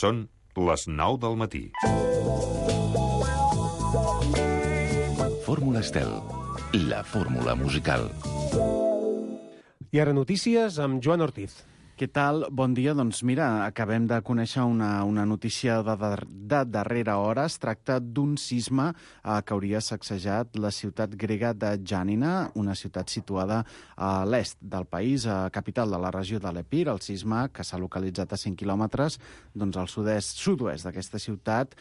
Són les 9 del matí. Fórmula Estel, la fórmula musical. I ara notícies amb Joan Ortiz. Què tal? Bon dia. Doncs mira, acabem de conèixer una notícia de darrera hora. Es tracta d'un sisme que hauria sacsejat la ciutat grega de Giannina, una ciutat situada a l'est del país, a capital de la regió de l'Epir. El sisme, que s'ha localitzat a 100 quilòmetres doncs al sud-oest d'aquesta ciutat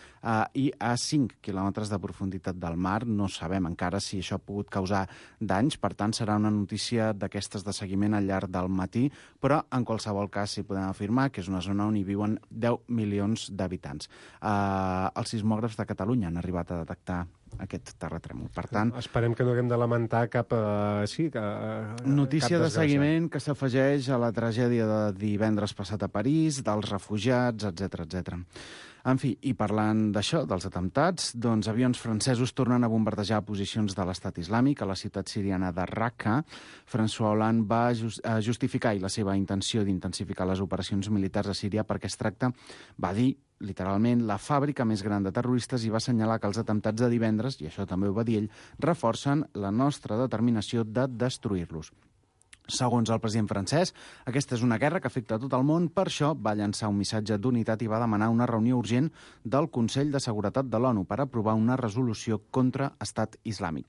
i a 5 quilòmetres de profunditat del mar. No sabem encara si això ha pogut causar danys, per tant serà una notícia d'aquestes de seguiment al llarg del matí, però en qualsevol cas sí podem afirmar que és una zona on hi viuen 10 milions d'habitants. Els sismògrafs de Catalunya han arribat a detectar aquest terratrèmol. Per tant, esperem que no haguem de lamentar cap notícia de seguiment que s'afegeix a la tragèdia de divendres passat a París, dels refugiats, etc. En fi, i parlant d'això, dels atemptats, doncs avions francesos tornen a bombardejar posicions de l'estat islàmic a la ciutat siriana de Raqqa. François Hollande va justificar la seva intenció d'intensificar les operacions militars a Síria perquè es tracta, va dir, literalment, la fàbrica més gran de terroristes i va assenyalar que els atemptats de divendres, i això també ho va dir ell, reforcen la nostra determinació de destruir-los. Segons el president francès, aquesta és una guerra que afecta a tot el món, per això va llançar un missatge d'unitat i va demanar una reunió urgent del Consell de Seguretat de l'ONU per aprovar una resolució contra Estat Islàmic.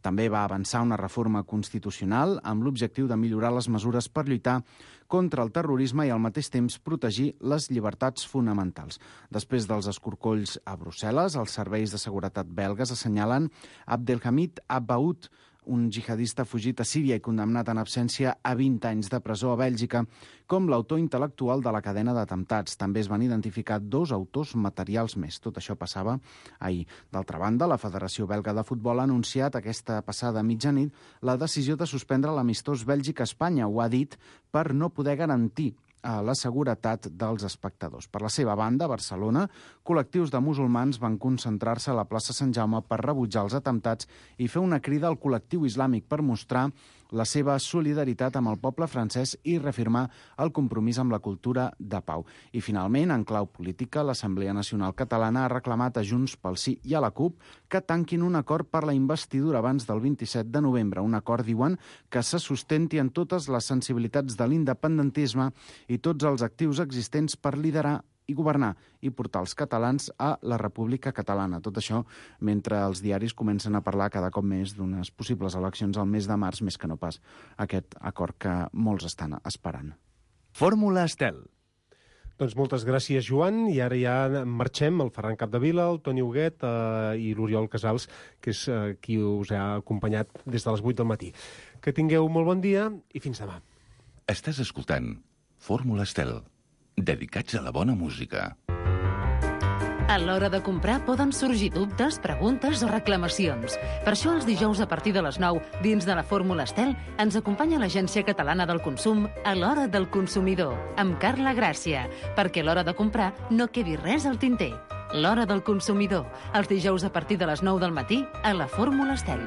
També va avançar una reforma constitucional amb l'objectiu de millorar les mesures per lluitar contra el terrorisme i al mateix temps protegir les llibertats fonamentals. Després dels escorcolls a Brussel·les, els serveis de seguretat belgues assenyalen Abdelhamid Abaoud, un jihadista fugit a Síria i condemnat en absència a 20 anys de presó a Bèlgica, com l'autor intel·lectual de la cadena d'atemptats. També es van identificar 2 autors materials més. Tot això passava ahir. D'altra banda, la Federació Belga de Futbol ha anunciat aquesta passada mitjanit la decisió de suspendre l'amistós Bèlgica-Espanya. Ho ha dit per no poder garantir a la seguretat dels espectadors. Per la seva banda, a Barcelona, col·lectius de musulmans van concentrar-se a la plaça Sant Jaume per rebutjar els atemptats i fer una crida al col·lectiu islàmic per mostrar la seva solidaritat amb el poble francès i reafirmar el compromís amb la cultura de pau. I finalment, en clau política, l'Assemblea Nacional Catalana ha reclamat a Junts pel Sí i a la CUP que tanquin un acord per la investidura abans del 27 de novembre. Un acord, diuen, que se sustenti en totes les sensibilitats de l'independentisme i tots els actius existents per liderar i governar i portar els catalans a la República Catalana. Tot això mentre els diaris comencen a parlar cada cop més d'unes possibles eleccions al mes de març, més que no pas aquest acord que molts estan esperant. Fórmula Estel. Doncs moltes gràcies, Joan, i ara ja marxem, el Ferran Capdevila, el Toni Huguet i l'Oriol Casals, que és qui us ha acompanyat des de les 8 del matí. Que tingueu molt bon dia i fins demà. Estàs escoltant Fórmula Estel, dedicats a la bona música. A l'hora de comprar poden sorgir dubtes, preguntes o reclamacions. Per això els dijous a partir de les 9, dins de la Fórmula Estel, ens acompanya l'Agència Catalana del Consum a l'Hora del Consumidor, amb Carla Gràcia, perquè a l'hora de comprar no quedi res al tinter. L'Hora del Consumidor, els dijous a partir de les 9 del matí a la Fórmula Estel.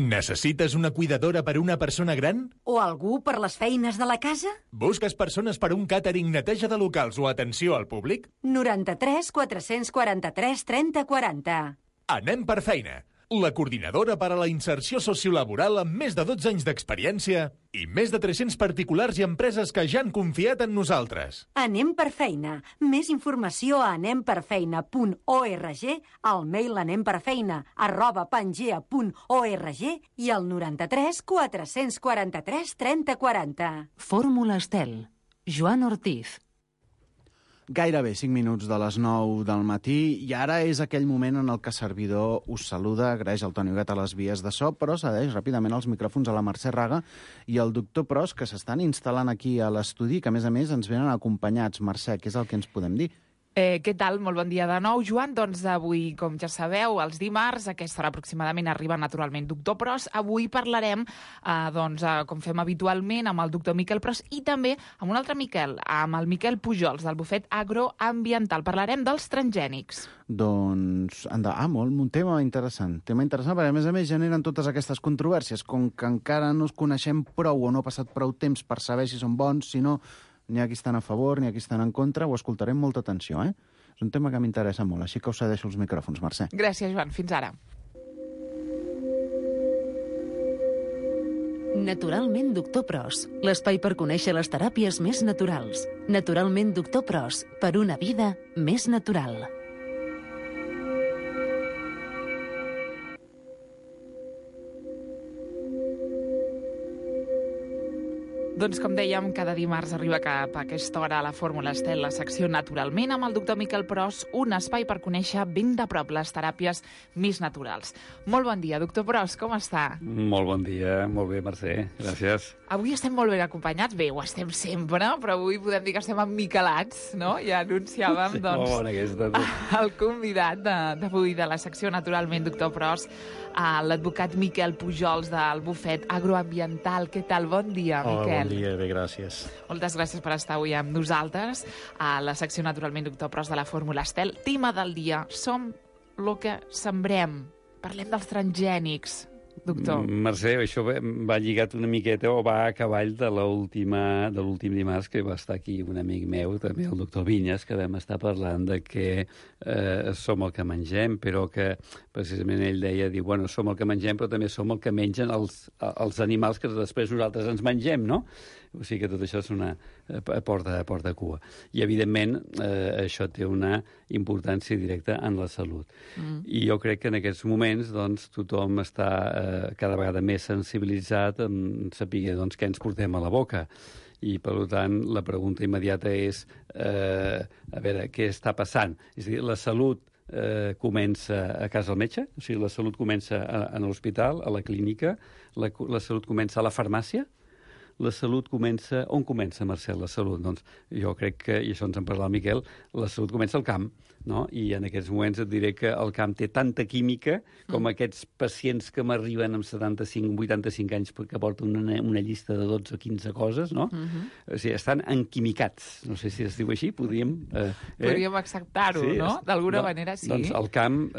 Necessites una cuidadora per a una persona gran? O algú per les feines de la casa? Busques persones per a un càtering, neteja de locals o atenció al públic? 93 443 30 40. Anem per feina. La coordinadora per a la inserció sociolaboral amb més de 12 anys d'experiència i més de 300 particulars i empreses que ja han confiat en nosaltres. Anem per feina. Més informació a anemperfeina.org, al mail anemperfeina@pangea.org i al 93 443 30 40. Fórmula Estel. Joan Ortiz. Gairebé 5 minuts de les 9 del matí i ara és aquell moment en el que servidor us saluda, agraeix el Toni Huguet a les vies de so, però cedeix ràpidament els micròfons a la Mercè Raga i al doctor Pros, que s'estan instal·lant aquí a l'estudi, que a més ens venen acompanyats. Mercè, què és el que ens podem dir? Què tal? Molt bon dia de nou, Joan. Doncs avui, com ja sabeu, els dimarts, a aquesta hora aproximadament arriba naturalment Doctor Pros. Avui parlarem, com fem habitualment, amb el doctor Miquel Pros i també amb un altre Miquel, amb el Miquel Pujols, del bufet agroambiental. Parlarem dels transgènics. Doncs, molt, un tema interessant. Perquè a més generen totes aquestes controvèrsies. Com que encara no es coneixem prou o no ha passat prou temps per saber si són bons, si no... N'hi ha qui estan a favor, n'hi ha qui estan en contra, ho escoltarem amb molta atenció, eh? És un tema que m'interessa molt, així que us cedeixo els micròfons, Mercè. Gràcies, Joan. Fins ara. Naturalment Doctor Pros, l'espai per conèixer les teràpies més naturals. Naturalment Doctor Pros, per una vida més natural. Doncs, com dèiem, cada dimarts arriba cap a aquesta hora a la Fórmula Estel, la secció Naturalment, amb el doctor Miquel Pros, un espai per conèixer ben de prop les teràpies més naturals. Molt bon dia, doctor Pros, com està? Molt bon dia, molt bé, Mercè, gràcies. Avui estem molt ben acompanyats, bé, ho estem sempre, però avui podem dir que estem emmiquelats, no? Ja anunciàvem, Sí, doncs, molt bona aquesta. el convidat d'avui de la secció Naturalment, doctor Pros, l'advocat Miquel Pujols del bufet agroambiental. Què tal? Bon dia, Miquel. Bon dia, bé, gràcies. Moltes gràcies per estar avui amb nosaltres a la secció Naturalment Doctor Pros de la Fórmula Estel. Tema del dia, som lo que sembrem. Parlem dels transgènics, doctor. Mercè, això va lligat una miqueta o va a cavall de l'últim dimarts que va estar aquí un amic meu, també el doctor Vinyes, que vam estar parlant de que som el que mengem, però que precisament ell deia, diu, bueno, som el que mengem, però també som el que mengen els animals que després nosaltres ens mengem, no? O sigui que tot això és una porta cua. I, evidentment, això té una importància directa en la salut. I jo crec que en aquests moments doncs, tothom està cada vegada més sensibilitzat en saber doncs, què ens portem a la boca. I, per tant, la pregunta immediata és a veure, què està passant? És a dir, la salut comença a casa del metge, o sigui, la salut comença a l'hospital, a la clínica, la salut comença a la farmàcia, la salut comença... On comença, Marcel, la salut? Doncs jo crec que, i això ens en parla el Miquel, la salut comença al camp, no? I en aquests moments et diré que el camp té tanta química com aquests pacients que m'arriben amb 75, 85 anys que porten una llista de 12 o 15 coses, no? O sigui, estan enquimicats. No sé si es diu així, podríem... Podríem acceptar-ho, sí, no? D'alguna manera, sí. Doncs el camp...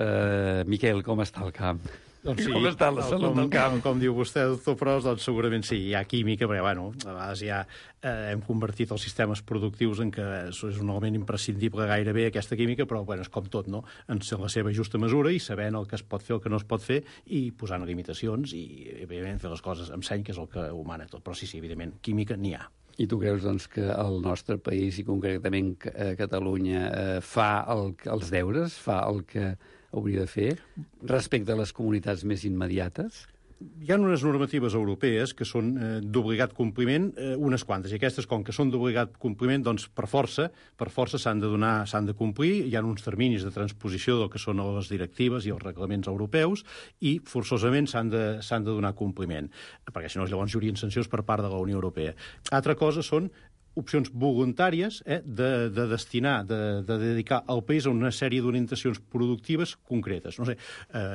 Miquel, com està el camp? Doncs sí, com està la salut del camp? Com diu vostè, doctor Pros, doncs segurament sí, hi ha química, perquè, bueno, a vegades ja hem convertit els sistemes productius en que és un element imprescindible gairebé, aquesta química, però, bueno, és com tot, no? En la seva justa mesura i sabent el que es pot fer, el que no es pot fer, i posant limitacions i, evidentment, fer les coses amb seny, que és el que ho mana tot. Però sí, evidentment, química n'hi ha. I tu creus, doncs, que el nostre país, i concretament Catalunya, fa els deures, fa el que hauria de fer respecte a les comunitats més immediates? Hi ha unes normatives europees que són d'obligat compliment, unes quantes, i aquestes, com que són d'obligat compliment, doncs per força s'han de complir, hi ha uns terminis de transposició del que són les directives i els reglaments europeus, i forçosament s'han de donar compliment, perquè si no llavors hi haurien sancions per part de la Unió Europea. Altra cosa són opcions voluntàries de destinar, de dedicar al país a una sèrie d'orientacions productives concretes. No sé,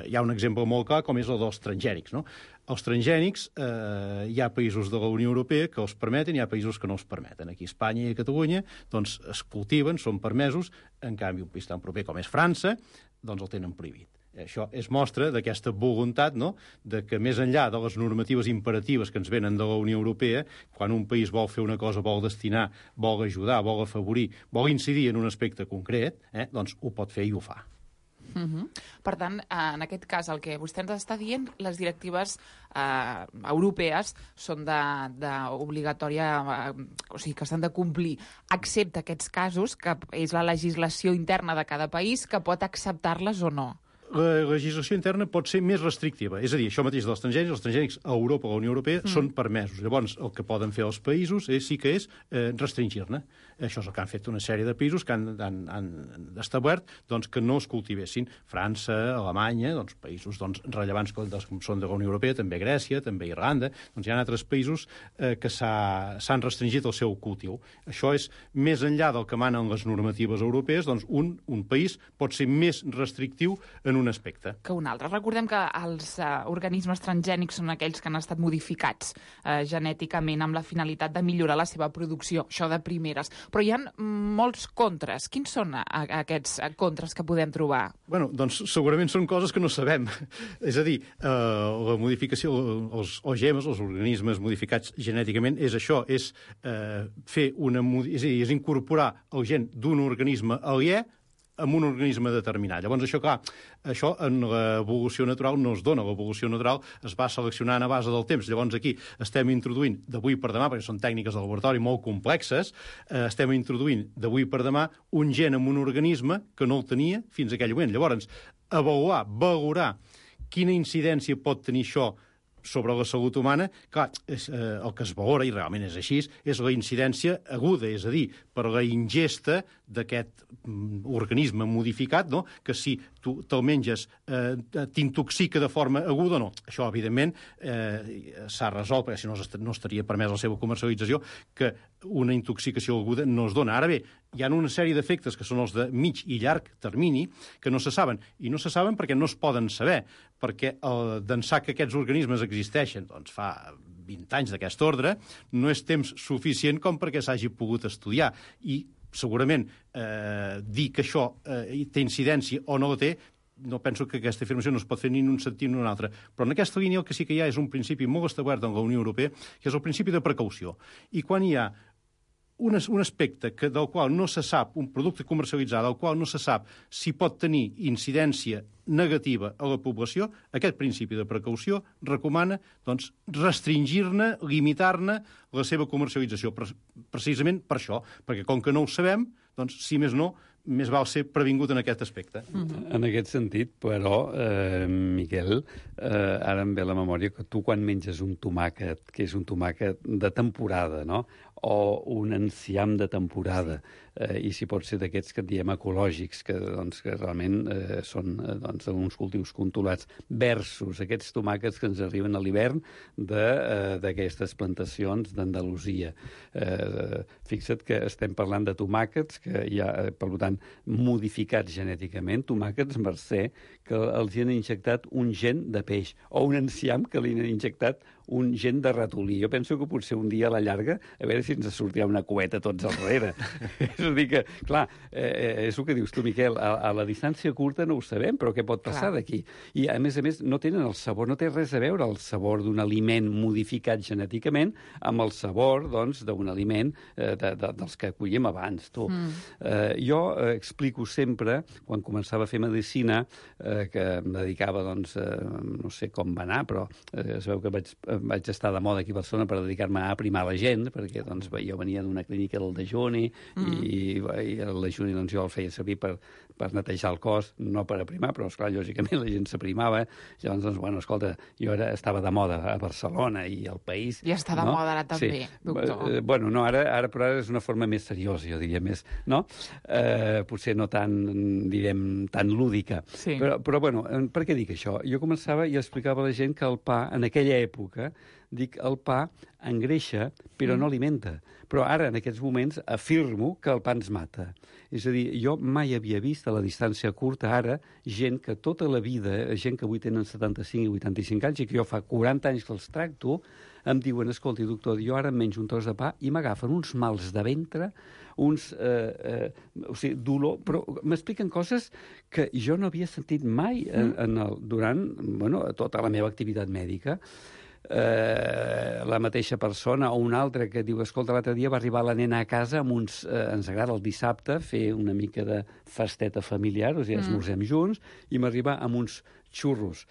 hi ha un exemple molt clar com és el dels transgènics, no? Els transgènics, hi ha països de la Unió Europea que els permeten i hi ha països que no els permeten. Aquí a Espanya i a Catalunya doncs, es cultiven, són permesos, en canvi un país tan proper com és França, doncs el tenen prohibit. Això és mostra d'aquesta voluntat, no?, de que més enllà de les normatives imperatives que ens venen de la Unió Europea, quan un país vol fer una cosa, vol destinar, vol ajudar, vol afavorir, vol incidir en un aspecte concret, doncs ho pot fer i ho fa. Per tant, en aquest cas, el que vostè ens està dient, les directives europees són d'obligatòria, o sigui, que s'han de complir, excepte aquests casos, que és la legislació interna de cada país, que pot acceptar-les o no. La legislació interna pot ser més restrictiva. És a dir, això mateix dels transgènics a Europa o a la Unió Europea són permesos. Llavors, el que poden fer els països sí que és restringir-ne. Això és el que han fet una sèrie de països que han establert doncs, que no es cultivessin. França, Alemanya, doncs, països rellevants com són de la Unió Europea, també Grècia, també Irlanda. Doncs hi ha altres països que s'han restringit el seu cultiu. Això és més enllà del que manen les normatives europees, doncs un país pot ser més restrictiu en en un aspecte. Que un altre. Recordem que els organismes transgènics són aquells que han estat modificats genèticament amb la finalitat de millorar la seva producció, això de primeres. Però hi ha molts contres. Quins són aquests contres que podem trobar? Bueno, doncs segurament són coses que no sabem. És a dir, la modificació, els OGMs, els organismes modificats genèticament, és això, és és incorporar el gen d'un organisme aliè amb un organisme determinat. Llavors, això, clar, això en l'evolució natural no es dona. L'evolució natural es va seleccionant a base del temps. Llavors, aquí estem introduint d'avui per demà, perquè són tècniques de laboratori molt complexes, estem introduint d'avui per demà un gen en un organisme que no el tenia fins a aquell moment. Llavors, valorar quina incidència pot tenir això sobre la salut humana, clar, el que es valora, i realment és així, és la incidència aguda, és a dir, per la ingesta d'aquest organisme modificat, no? Que si tu te'l menges t'intoxica de forma aguda o no. Això, evidentment, s'ha resolt, perquè si no estaria permès la seva comercialització, que una intoxicació aguda no es dona. Ara bé, hi ha una sèrie d'efectes que són els de mig i llarg termini que no se saben. I no se saben perquè no es poden saber, perquè d'ençà que aquests organismes existeixen, doncs fa 20 anys d'aquest ordre, no és temps suficient com perquè s'hagi pogut estudiar. I segurament dir que això té incidència o no la té, no penso que aquesta afirmació no es pot fer ni en un sentit ni en un altre. Però en aquesta línia el que sí que hi ha és un principi molt establert en la Unió Europea, que és el principi de precaució. I quan hi ha un aspecte del qual no se sap, un producte comercialitzat del qual no se sap si pot tenir incidència negativa a la població, aquest principi de precaució recomana doncs, restringir-ne, limitar-ne la seva comercialització, precisament per això, perquè com que no ho sabem, doncs, si més no, més val ser previngut en aquest aspecte. En aquest sentit, però, Miquel, ara em ve la memòria que tu quan menges un tomàquet, que és un tomàquet de temporada, no?, o un enciam de temporada, i si pot ser d'aquests que en diem ecològics, que realment són uns cultius controlats, versus aquests tomàquets que ens arriben a l'hivern d'aquestes plantacions d'Andalusia. Fixa't que estem parlant de tomàquets que hi ha, per tant, modificats genèticament, tomàquets, Mercè, que els hi han injectat un gen de peix, o un enciam que li han injectat un gen de ratolí. Jo penso que potser un dia a la llarga, a veure si ens sortirà una cueta tots al darrere. És a dir que, clar, és el que dius tu, Miquel, a la distància curta no ho sabem, però què pot passar d'aquí? I, a més, no tenen el sabor, no té res a veure el sabor d'un aliment modificat genèticament amb el sabor, doncs, d'un aliment dels que collíem abans, tu. Jo explico sempre, quan començava a fer medicina, que em dedicava, doncs, no sé com va anar, però es veu que vaig estar de moda aquí a Barcelona per dedicar-me a aprimar la gent, perquè doncs, jo venia d'una clínica del dejuni i el dejuni doncs, jo el feia servir per netejar el cos, no per aprimar, però esclar, lògicament la gent s'aprimava. Llavors, doncs, bueno, escolta, jo estava de moda a Barcelona i al país. I està de moda ara també, doctor. Bueno, no, ara és una forma més seriosa, jo diria, més, no? Potser no tan, direm, tan lúdica. Sí. Però, bueno, per què dic això? Jo començava i explicava a la gent que el pa, en aquella època, dic, el pa engreixa, però no alimenta. Però ara, en aquests moments, afirmo que el pa ens mata. És a dir, jo mai havia vist a la distància curta ara gent que tota la vida, gent que avui tenen 75 i 85 anys i que jo fa 40 anys que els tracto, em diuen, escolti, doctor, jo ara em menjo un tros de pa i m'agafen uns mals de ventre, o sigui, dolor, però m'expliquen coses que jo no havia sentit mai durant tota la meva activitat mèdica. La mateixa persona o una altra que diu, escolta, l'altre dia va arribar la nena a casa amb uns... ens agrada el dissabte fer una mica de festeta familiar, o sigui, esmorzem junts, i m'arriba amb uns xurros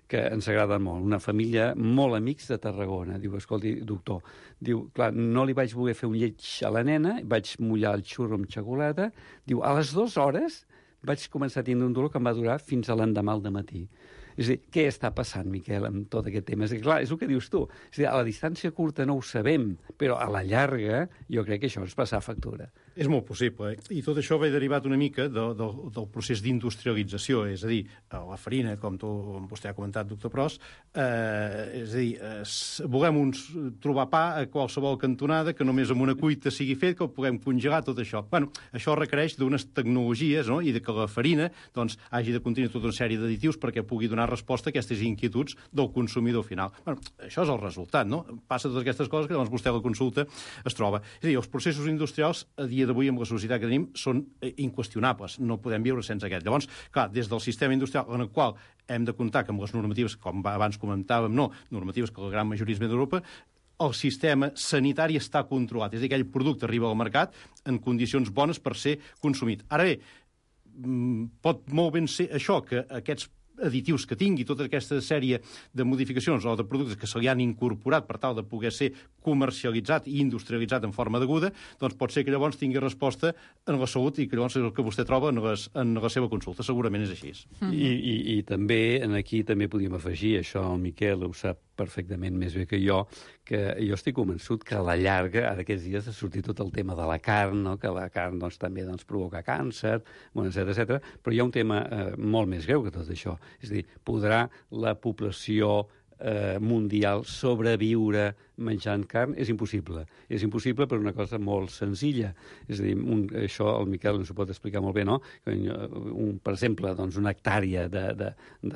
que ens agraden molt. Una família molt amics de Tarragona. Diu, escolti, doctor, diu, clar, no li vaig voler fer un lleig a la nena, vaig mullar el xurro amb xocolata, diu, a les 2 hores vaig començar a tindre un dolor que em va durar fins a l'endemà al dematí. És a dir, què està passant, Miquel, amb tot aquest tema? És a dir, clar, és el que dius tu. És a dir, a la distància curta no ho sabem, però a la llarga jo crec que això ens passa factura. És molt possible, I tot això ve derivat una mica del procés d'industrialització, és a dir, la farina, com vostè ha comentat, doctor Pros, és a dir, volem trobar pa a qualsevol cantonada, que només amb una cuita sigui fet, que ho puguem congelar, tot això. Bueno, això requereix d'unes tecnologies, no?, i que la farina doncs, hagi de contenir tota una sèrie d'additius perquè pugui donar resposta a aquestes inquietuds del consumidor final. Bueno, això és el resultat, no? Passa totes aquestes coses que llavors vostè a la consulta es troba. És a dir, els processos industrials a dia d'avui amb la societat que tenim són inqüestionables, no podem viure sense aquest. Llavors, clar, des del sistema industrial en el qual hem de comptar amb les normatives, com abans comentàvem, normatives que la gran majoria és d'Europa, el sistema sanitari està controlat, és a dir, aquell producte arriba al mercat en condicions bones per ser consumit. Ara bé, pot molt ben ser això, que aquests additius que tingui, tota aquesta sèrie de modificacions o de productes que se li han incorporat per tal de poder ser comercialitzat i industrialitzat en forma deguda, doncs pot ser que llavors tingui resposta en la salut i que llavors és el que vostè troba en la seva consulta. Segurament és així. I també, aquí també podríem afegir, això el Miquel ho sap perfectament més bé que jo estic convençut que a la llarga, ara aquests dies ha sortit tot el tema de la carn, no? Que la carn també provoca càncer, etc. Però hi ha un tema molt més greu que tot això. És a dir, podrà la població mundial sobreviure menjant carn? És impossible. És impossible per una cosa molt senzilla. És a dir, això el Miquel ens ho pot explicar molt bé, no? Per exemple, doncs una hectàrea de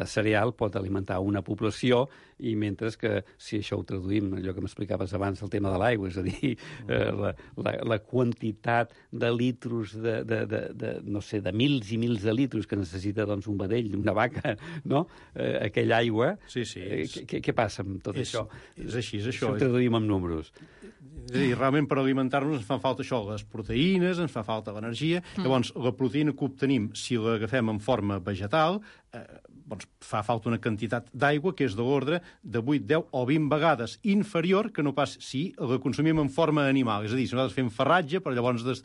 cereal pot alimentar una població i mentre que, si això ho traduïm, allò que m'explicaves abans, el tema de l'aigua, és a dir, la quantitat de litros, no sé, de mils i mils de litros que necessita doncs, un vedell, una vaca, no? Aquella aigua... Sí. Què passa amb tot això? És així, és això. Ho traduïm amb números. És a dir, realment per alimentar-nos ens fan falta això, les proteïnes, ens fa falta l'energia. Llavors, la proteïna que obtenim, si l'agafem en forma vegetal, doncs fa falta una quantitat d'aigua que és de l'ordre de 8, 10 o 20 vegades inferior que no pas si la consumim en forma animal. És a dir, si nosaltres fem farratge, però llavors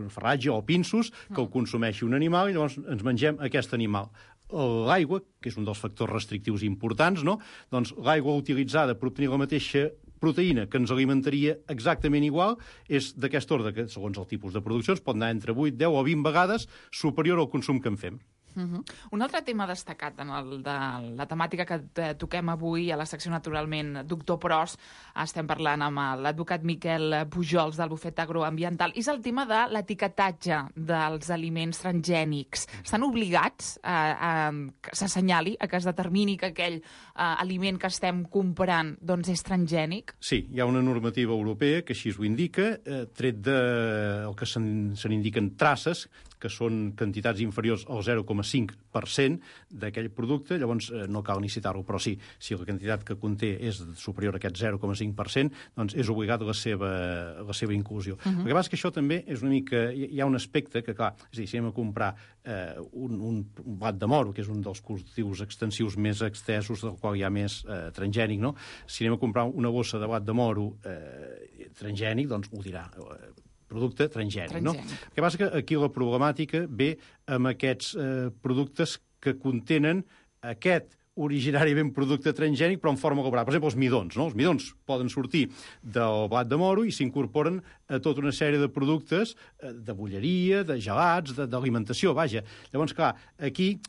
farratge o pinsos, que el consumeixi un animal i llavors ens mengem aquest animal. L'aigua, que és un dels factors restrictius importants, no? Doncs l'aigua utilitzada per obtenir la mateixa proteïna que ens alimentaria exactament igual és d'aquest ordre, que segons el tipus de produccions pot anar entre 8, 10 o 20 vegades superior al consum que en fem. Un altre tema destacat en la temàtica que toquem avui a la secció Naturalment, doctor Pros, estem parlant amb l'advocat Miquel Pujols del Bufet Agroambiental, és el tema de l'etiquetatge dels aliments transgènics. Estan obligats a que s'assenyali, a que es determini que aquell aliment que estem comprant doncs, és transgènic? Sí, hi ha una normativa europea que així ho indica, tret del que se n'indiquen traces, que són quantitats inferiors al 0,5% d'aquell producte, llavors no cal ni citar-ho, però sí, si la quantitat que conté és superior a aquest 0,5%, doncs és obligat la seva inclusió. El que passa és que això també és una mica... Hi ha un aspecte que, clar, és a dir, si anem a comprar un blat de moro, que és un dels cultius extensius més extensos, del qual hi ha més transgènic, no? Si anem a comprar una bossa de blat de moro transgènic, doncs ho dirà... producte transgènic, no? El que passa que aquí la problemàtica ve amb aquests productes que contenen aquest originàriament producte transgènic, però en forma elaborada. Per exemple, els midons, no? Els midons poden sortir del blat de moro i s'incorporen a tota una sèrie de productes de bolleria, de gelats, d'alimentació, vaja. Llavors, clar, aquí,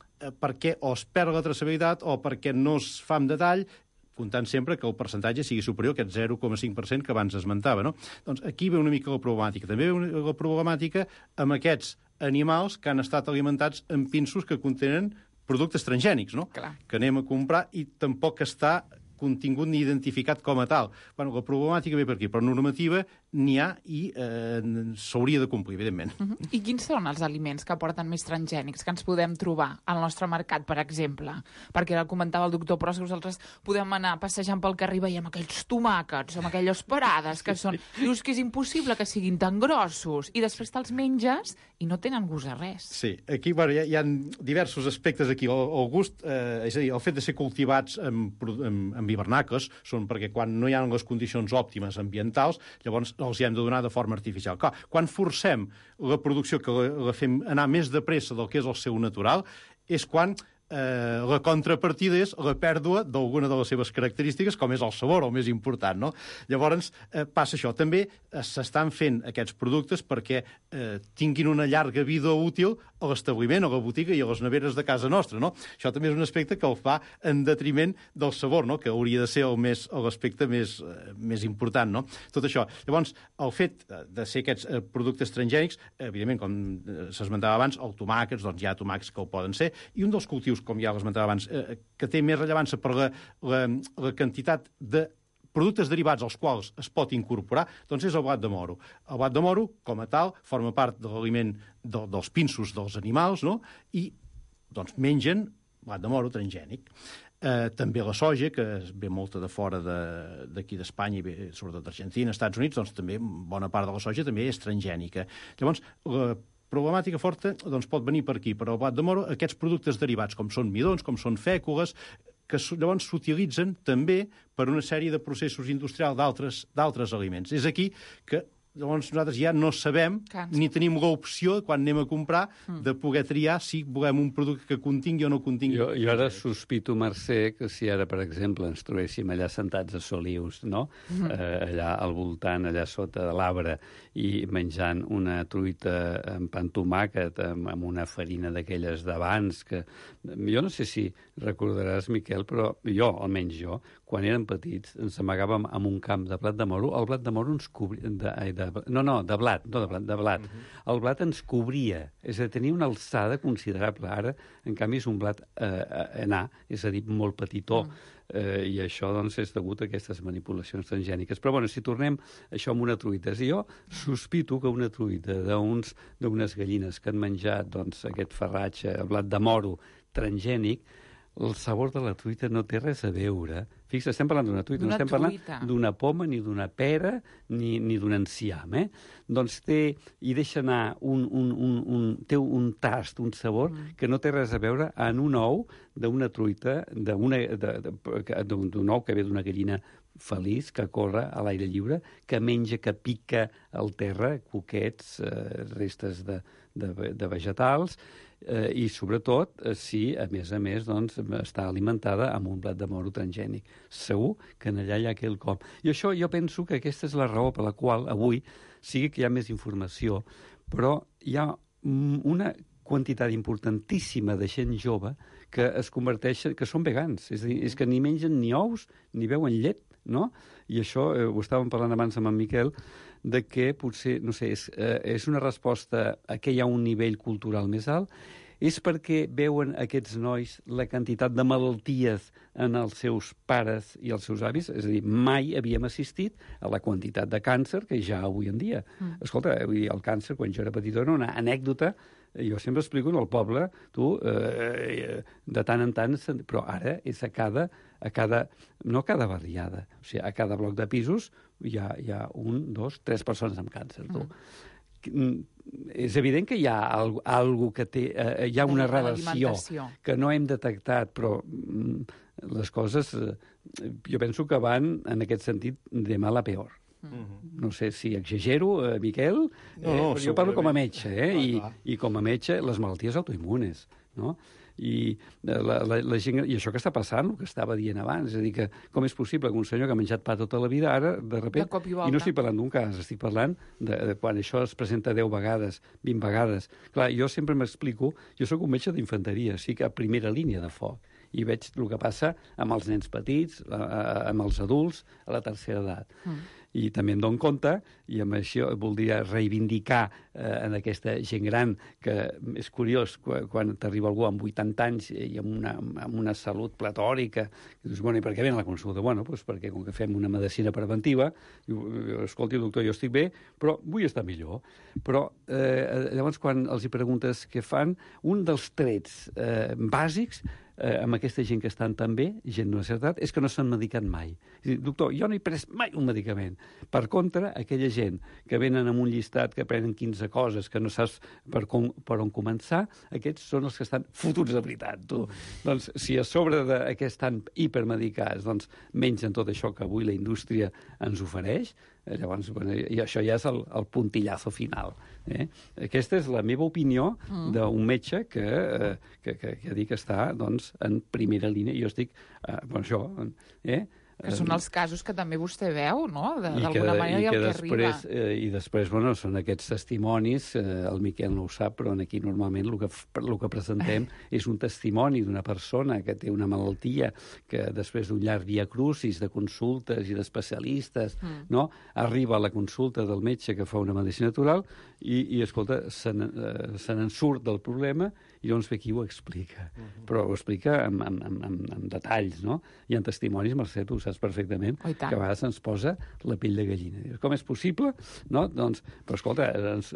perquè o es perd la traçabilitat o perquè no es fa amb detall, comptant sempre que el percentatge sigui superior a aquest 0,5% que abans esmentava, no? Doncs aquí ve una mica la problemàtica. També ve la problemàtica amb aquests animals que han estat alimentats amb pinsos que contenen productes transgènics, no? Clar. Que anem a comprar i tampoc està contingut ni identificat com a tal. Bueno, la problemàtica ve per aquí, però normativa n'hi ha i s'hauria de complir, evidentment. I quins són els aliments que porten més transgènics que ens podem trobar al nostre mercat, per exemple? Perquè ara comentava el doctor Pros que nosaltres podem anar passejant pel carrer i veiem aquells tomàquets amb aquelles parades que són... Dius que és impossible que siguin tan grossos i després te'ls menges i no tenen gust a res. Sí, aquí bueno, hi ha diversos aspectes aquí. El gust, és a dir, el fet de ser cultivats amb hivernacles són perquè quan no hi ha les condicions òptimes ambientals, llavors els hi hem de donar de forma artificial. Clar, quan forcem la producció, que la fem anar més de pressa del que és el seu natural, és quan la contrapartida és la pèrdua d'alguna de les seves característiques, com és el sabor, el més important, no? Llavors, passa això. També s'estan fent aquests productes perquè tinguin una llarga vida útil a l'establiment, a la botiga i a les neveres de casa nostra, no? Això també és un aspecte que el fa en detriment del sabor, no? Que hauria de ser l'aspecte més important, no? Tot això. Llavors, el fet de ser aquests productes transgènics, evidentment, com s'esmentava abans, el tomàquets, doncs hi ha tomàquets que ho poden ser, i un dels cultius, com ja l'esmentava abans, que té més rellevància per la quantitat de productes derivats als quals es pot incorporar, doncs és el blat de moro. El blat de moro, com a tal, forma part de l'aliment dels pinsos dels animals, no? I doncs mengen blat de moro transgènic. També la soja, que ve molta de fora d'aquí d'Espanya, i sobretot d'Argentina, Estats Units, doncs també bona part de la soja també és transgènica. Llavors, la problemàtica forta doncs, pot venir per aquí, per al blat de moro, aquests productes derivats, com són midons, com són fècules, que llavors s'utilitzen també per una sèrie de processos industrials d'altres aliments. És aquí que llavors nosaltres ja no sabem ni tenim l'opció, quan anem a comprar, de poder triar si volem un producte que contingui o no contingui. Jo ara sospito, Mercè, que si ara, per exemple, ens trobéssim allà sentats a Solius, no? Allà al voltant, allà sota de l'arbre, i menjant una truita amb pa amb tomàquet, amb una farina d'aquelles d'abans, que jo no sé si recordaràs, Miquel, però jo, almenys jo, quan érem petits, ens amagàvem amb un camp de blat de moro. El blat de moro ens cobria... de blat. El blat ens cobria, és a dir, tenia una alçada considerable. Ara, en canvi, és un blat enà, és a dir, molt petitó. I això, doncs, és degut a aquestes manipulacions transgèniques. Però, bueno, si tornem això amb una truita, si jo sospito que una truita d'unes gallines que han menjat, doncs, aquest farratge, blat de moro transgènic, el sabor de la truita no té res a veure. Fixa't, estem parlant d'una truita, no estem parlant d'una poma, ni d'una pera, ni d'un enciam, Doncs hi deixa anar té un tast, un sabor, que no té res a veure en un ou d'una truita, d'un ou que ve d'una gallina feliç, que corre a l'aire lliure, que menja, que pica al terra, cuquets, restes de vegetals, i sobretot si, a més, doncs, està alimentada amb un blat de moro transgènic. Segur que en allà hi ha quelcom. I això jo penso que aquesta és la raó per la qual avui sigui que hi ha més informació, però hi ha una quantitat importantíssima de gent jove que es converteixen, que són vegans, és a dir, és que ni mengen ni ous ni beuen llet, no? I això, ho estàvem parlant abans amb en Miquel, de que potser, no sé, és una resposta a que hi ha un nivell cultural més alt, és perquè veuen aquests nois la quantitat de malalties en els seus pares i els seus avis, és a dir, mai havíem assistit a la quantitat de càncer que ja avui en dia. Escolta, vull dir, el càncer, quan jo era petit, era una anècdota. Jo sempre explico en el poble, de tant en tant, però ara és no a cada barriada, o sigui, a cada bloc de pisos hi ha 1, 2, 3 persones amb càncer, És evident que hi ha algo que té... hi ha una relació que no hem detectat, però les coses, jo penso que van, en aquest sentit, de mal a peor. No sé si exagero, Miquel, però jo parlo com a metge, i com a metge les malalties autoimmunes, no? I la gent, i això que està passant, el que estava dient abans, és a dir, que com és possible que un senyor que ha menjat pa tota la vida, ara, de sobte, i no estic parlant d'un cas, estic parlant de quan això es presenta 10 vegades, 20 vegades. Clar, jo sempre m'explico, jo sóc un metge d'infanteria, sí que a primera línia de foc, i veig el que passa amb els nens petits, amb els adults, a la tercera edat. I també em dono compte, i amb això voldria reivindicar en aquesta gent gran, que és curiós, quan t'arriba algú amb 80 anys i amb una salut platòrica, i dius, bueno, i per què ven a la consulta? Bueno, doncs perquè com que fem una medicina preventiva, escolti, doctor, jo estic bé, però vull estar millor. Però llavors, quan els hi preguntes què fan, un dels trets bàsics amb aquesta gent que estan tan bé, gent d'una certa edat, és que no s'han medicat mai. És dir, doctor, jo no he pres mai un medicament. Per contra, aquella gent que venen amb un llistat, que prenen 15 coses, que no saps per on començar, aquests són els que estan fotuts de veritat, tu. Doncs, si a sobre que estan hipermedicats, doncs mengen tot això que avui la indústria ens ofereix, Llavors, bueno, i això ja és el puntillazo final. Aquesta és la meva opinió d'un metge que dic que està doncs, en primera línia. Jo estic... això... Que són els casos que també vostè veu, no? D'alguna manera i el que arriba. I després, bueno, són aquests testimonis, el Miquel no ho sap, però aquí normalment el que presentem és un testimoni d'una persona que té una malaltia que després d'un llarg viacrucis de consultes i d'especialistes, no? Arriba a la consulta del metge que fa una medicina natural i escolta, se n'en surt del problema i llavors ve aquí ho explica. Però ho explica amb detalls, no? Hi ha testimonis, Mercè, tu ho saps perfectament, que a vegades ens posa la pell de gallina. Com és possible? No? Doncs, però escolta,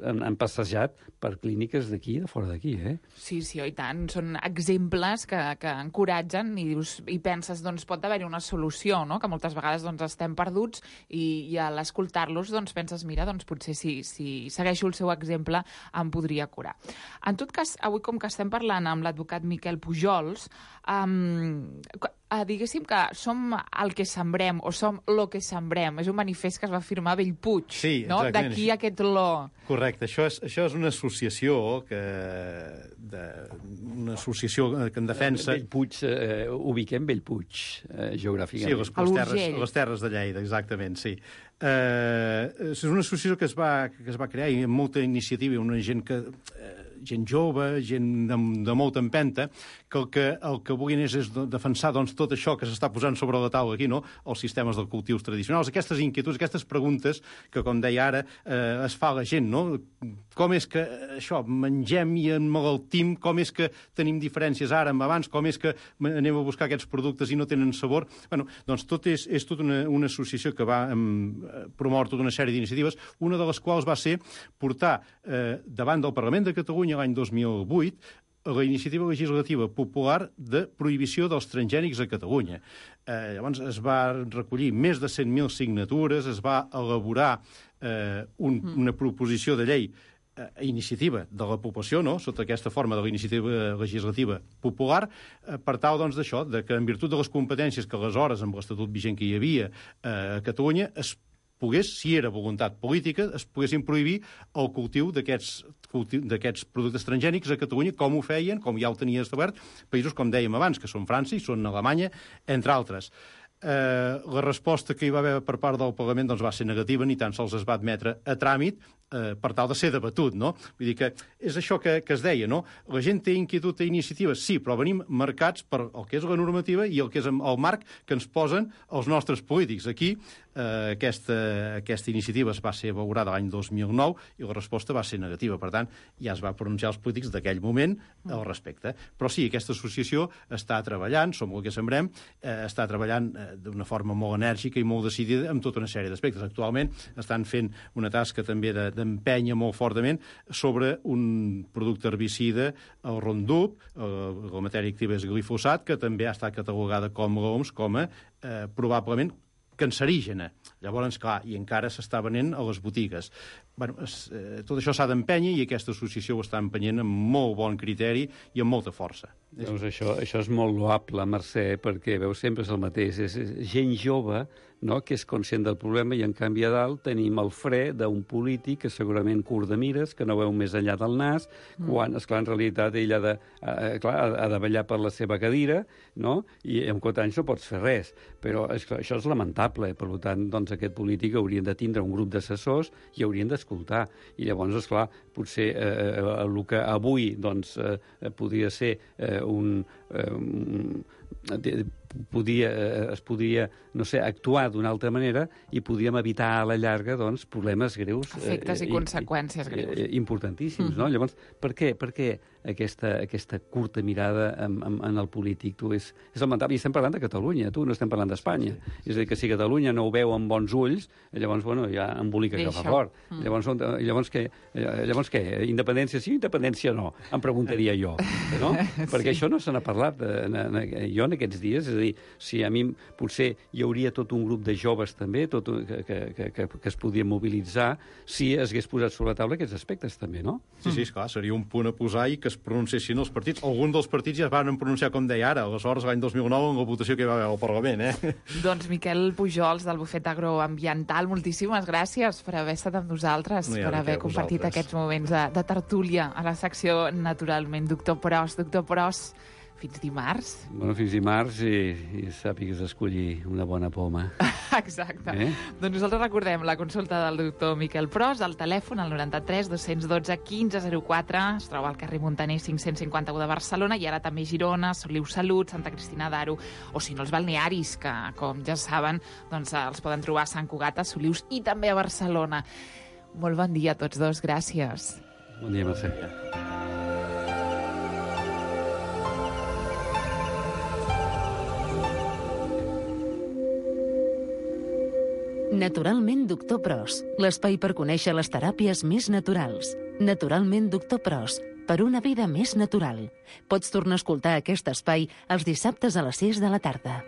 han passejat per clíniques d'aquí i de fora d'aquí, Sí, i tant. Són exemples que encoratgen i penses, doncs pot haver-hi una solució, no? Que moltes vegades doncs, estem perduts i a l'escoltar-los doncs, penses, mira, doncs potser si segueixo el seu exemple em podria curar. En tot cas, avui com que estem parlant amb l'advocat Miquel Pujols, diguéssim que som el que sembrem, o som lo que sembrem. És un manifest que es va firmar a Bellpuig, no? D'aquí aquest lo. Correcte. Això és una associació que en defensa... Bellpuig, ubiquem Bellpuig, geogràficament. Sí, les terres de Lleida, exactament, sí. És una associació que es va crear i amb molta iniciativa, una gent jove, gent de molta empenta, que el que vulguin és defensar doncs, tot això que s'està posant sobre la taula aquí, no? Els sistemes de cultius tradicionals, aquestes inquietuds, aquestes preguntes que, com deia ara, es fa a la gent, no? Com és que això, mengem i emmalaltim, com és que tenim diferències ara amb abans, com és que anem a buscar aquests productes i no tenen sabor. Bueno, doncs tot és tota una associació que va promoure tota una sèrie d'iniciatives, una de les quals va ser portar davant del Parlament de Catalunya l'any 2008 la iniciativa legislativa popular de prohibició dels transgènics a Catalunya. Llavors es va recollir més de 100.000 signatures, es va elaborar una proposició de llei a iniciativa de la població, no? Sota aquesta forma de la iniciativa legislativa popular, per tal doncs, d'això, que en virtut de les competències que aleshores, amb l'Estatut vigent que hi havia a Catalunya, es pogués, si era voluntat política, es poguessin prohibir el cultiu d'aquests productes transgènics a Catalunya, com ho feien, com ja ho tenia establert, països, com dèiem abans, que són França i són Alemanya, entre altres. La resposta que hi va haver per part del Parlament doncs, va ser negativa, ni tan sols es va admetre a tràmit per tal de ser debatut, no? Vull dir que és això que es deia, no? La gent té inquietud i iniciatives, sí, però venim marcats per el que és la normativa i el que és el marc que ens posen els nostres polítics. Aquí aquesta iniciativa es va ser valorada l'any 2009 i la resposta va ser negativa. Per tant, ja es va pronunciar els polítics d'aquell moment al respecte. Però sí, aquesta associació està treballant, som el que sembrem, està treballant d'una forma molt enèrgica i molt decidida amb tota una sèrie d'aspectes. Actualment estan fent una tasca també d'empènyer molt fortament sobre un producte herbicida, el Roundup, la matèria activa és glifosat, que també ha estat catalogada com l'OMS com a probablement cancerígena. Llavors, clar, i encara s'està venent a les botigues. Bueno, tot això s'ha d'empènyer i aquesta associació ho està empenyent amb molt bon criteri i amb molta força. Doncs això és molt loable, Mercè, perquè, veus, sempre és el mateix. És gent jove, no?, que és conscient del problema i, en canvi, a dalt tenim el fre d'un polític que segurament curt de mires, que no veu més enllà del nas, quan, esclar, en realitat ell ha de ballar per la seva cadira, no?, i en 4 anys no pots fer res. Però esclar, això és lamentable. Per tant, doncs, aquest polític haurien de tindre un grup d'assessors i haurien d'escoltar. I llavors, esclar, potser el que avui doncs, podria ser es podria, no sé, actuar d'una altra manera i podríem evitar a la llarga doncs, problemes greus. Efectes i conseqüències greus. Importantíssims, no? Llavors, per què aquesta curta mirada en el polític? És lamentable. I estem parlant de Catalunya, no estem parlant d'Espanya. És a dir, que si Catalunya no ho veu amb bons ulls, llavors, bueno, ja embolica que fa fort. Llavors què? Independència sí o independència no? Em preguntaria jo, no? Perquè això no se n'ha parlat jo en aquests dies, és a dir, si a mi potser hi hauria tot un grup de joves també que es podien mobilitzar si es hagués posat sobre la taula aquests aspectes també, no? Sí, esclar, seria un punt a posar i que es pronunciessin els partits. Alguns dels partits ja es van pronunciar, com deia ara, aleshores l'any 2009 en la votació que hi va haver al Parlament, Doncs Miquel Pujols, del Bufet Agroambiental, moltíssimes gràcies per haver estat amb nosaltres, per haver compartit aquests moments de tertúlia a la secció Naturalment. Doctor Pros, fins dimarts. Bueno, fins dimarts i sàpigues escollir una bona poma. Exacte. Doncs nosaltres recordem la consulta del doctor Miquel Pros, al telèfon, al 93 212 1504, es troba al carrer Montaner 551 de Barcelona, i ara també Girona, Soliu Salut, Santa Cristina d'Aro, o si no els balnearis, que, com ja saben, doncs els poden trobar a Sant Cugat, a Solius i també a Barcelona. Molt bon dia a tots dos, gràcies. Bon dia, Mercè. Naturalment Doctor Pros, l'espai per conèixer les teràpies més naturals. Naturalment Doctor Pros, per una vida més natural. Pots tornar a escoltar aquest espai els dissabtes a les 6 de la tarda.